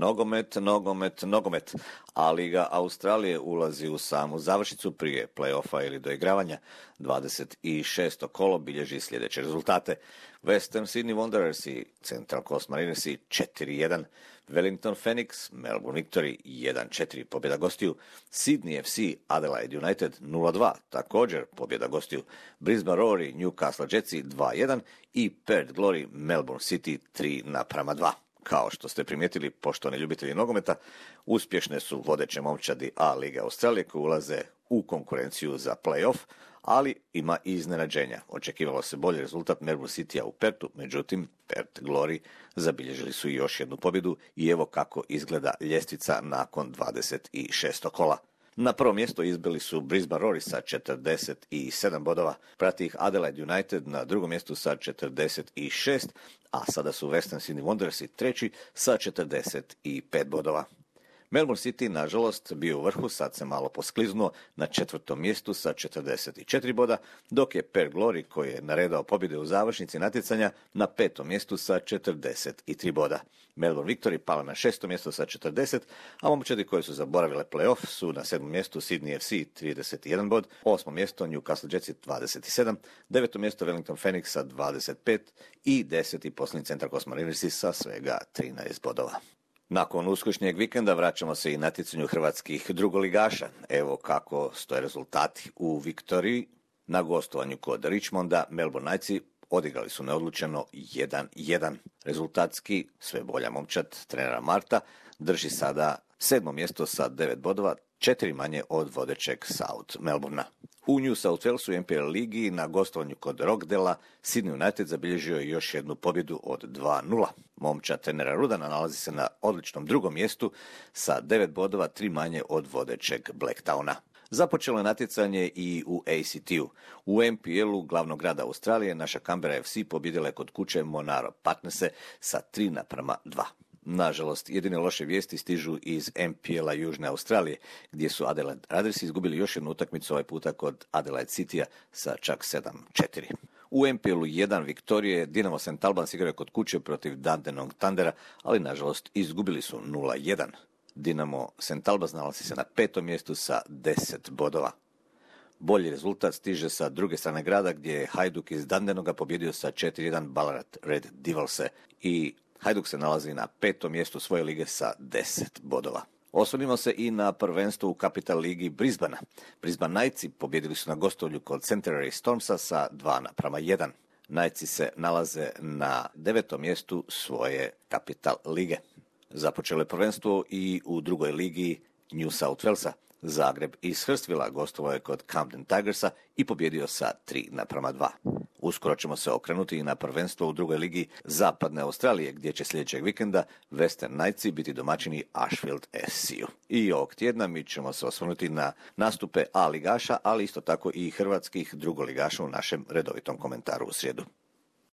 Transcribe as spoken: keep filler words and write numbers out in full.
Nogomet, nogomet, nogomet. A Liga Australije ulazi u samu završnicu prije play-offa ili doigravanja. dvadeset šesto kolo bilježi sljedeće rezultate. Western Sydney Wanderers i Central Coast Mariners četiri jedan. Wellington Phoenix, Melbourne Victory jedan četiri, pobjeda gostiju. Sydney F C, Adelaide United nula dva, također pobjeda gostiju. Brisbane Roar, Newcastle Jetsi dva jedan i Perth Glory, Melbourne City tri naprama dva. Kao što ste primijetili, poštovani ljubitelji nogometa, uspješne su vodeće momčadi A Lige Australije koji ulaze u konkurenciju za play-off, ali ima i iznenađenja. Očekivalo se bolji rezultat Melbourne Citya u Perthu, međutim Perth Glory zabilježili su još jednu pobjedu i evo kako izgleda ljestvica nakon dvadeset šesto kola. Na prvo mjesto izbili su Brisbane Roar sa četrdeset sedam bodova, prati ih Adelaide United na drugom mjestu sa četrdeset šest, a sada su Western Sydney Wanderers treći sa četrdeset pet bodova. Melbourne City, nažalost, bio u vrhu, sad se malo poskliznuo na četvrtom mjestu sa četrdeset četiri boda, dok je Perth Glory, koji je naredao pobjede u završnici natjecanja, na petom mjestu sa četrdeset tri boda. Melbourne Victory pala na šestom mjestu sa četrdeset, a momčadi koji su zaboravile play-off su na sedmom mjestu Sydney F C trideset jedan bod, osmom mjesto Newcastle Jetsi dvadeset sedam, devetom mjesto Wellington Phoenix sa dvadeset pet i deseti posljednji Central Coast Mariners sa svega trinaest bodova. Nakon uskršnjeg vikenda vraćamo se i natjecanju hrvatskih drugoligaša. Evo kako stoje rezultati u Viktoriji. Na gostovanju kod Richmonda Melbourne Knightsi odigrali su neodlučeno jedan jedan. Rezultatski sve bolja momčad trenera Marta drži sada sedmo mjesto sa devet bodova, četiri manje od vodećeg South Melbournea. U New South Walesu N P L ligi na gostovanju kod Rockdela Sydney United zabilježio je još jednu pobjedu od dva nula. Momčad trenera Rudana nalazi se na odličnom drugom mjestu sa devet bodova, tri manje od vodećeg Blacktowna. Započelo je natjecanje i u A C T-u. U N P L-u glavnog grada Australije naša Canberra F C pobjedila je kod kuće Monaro Partnerse sa tri naprama dva. Nažalost, jedine loše vijesti stižu iz N P L-a Južne Australije, gdje su Adelaide Raiders izgubili još jednu utakmicu ovaj puta kod Adelaide Citya sa čak sedam četiri. U N P L-u jedan Viktorije Dinamo Saint Albans igraju kod kuće protiv Dandenong Thundera, ali nažalost izgubili su nula jedan. Dinamo Saint Albans nalazi se na petom mjestu sa deset bodova. Bolji rezultat stiže sa druge strane grada gdje je Hajduk iz Dandenonga pobjedio sa četiri jedan Ballarat Red Devilse i Hajduk se nalazi na petom mjestu svoje lige sa deset bodova. Osvrnimo se i na prvenstvo u Capital ligi Brisbanea. Brisbane Knightsi pobjedili su na gostovanju kod Centenary Stormsa sa dva naprama jedan. Knightsi se nalaze na devetom mjestu svoje Capital lige. Započelo je prvenstvo i u drugoj ligi New South Walesa. Zagreb iz Hurstvilla gostovao je kod Camden Tigersa i pobjedio sa tri naprama dva. Uskoro ćemo se okrenuti i na prvenstvo u drugoj ligi Zapadne Australije, gdje će sljedećeg vikenda Western Knightsi biti domaćini Ashfield S C-u. I ovog tjedna mi ćemo se osvrnuti na nastupe A ligaša, ali isto tako i hrvatskih drugoligaša u našem redovitom komentaru u srijedu.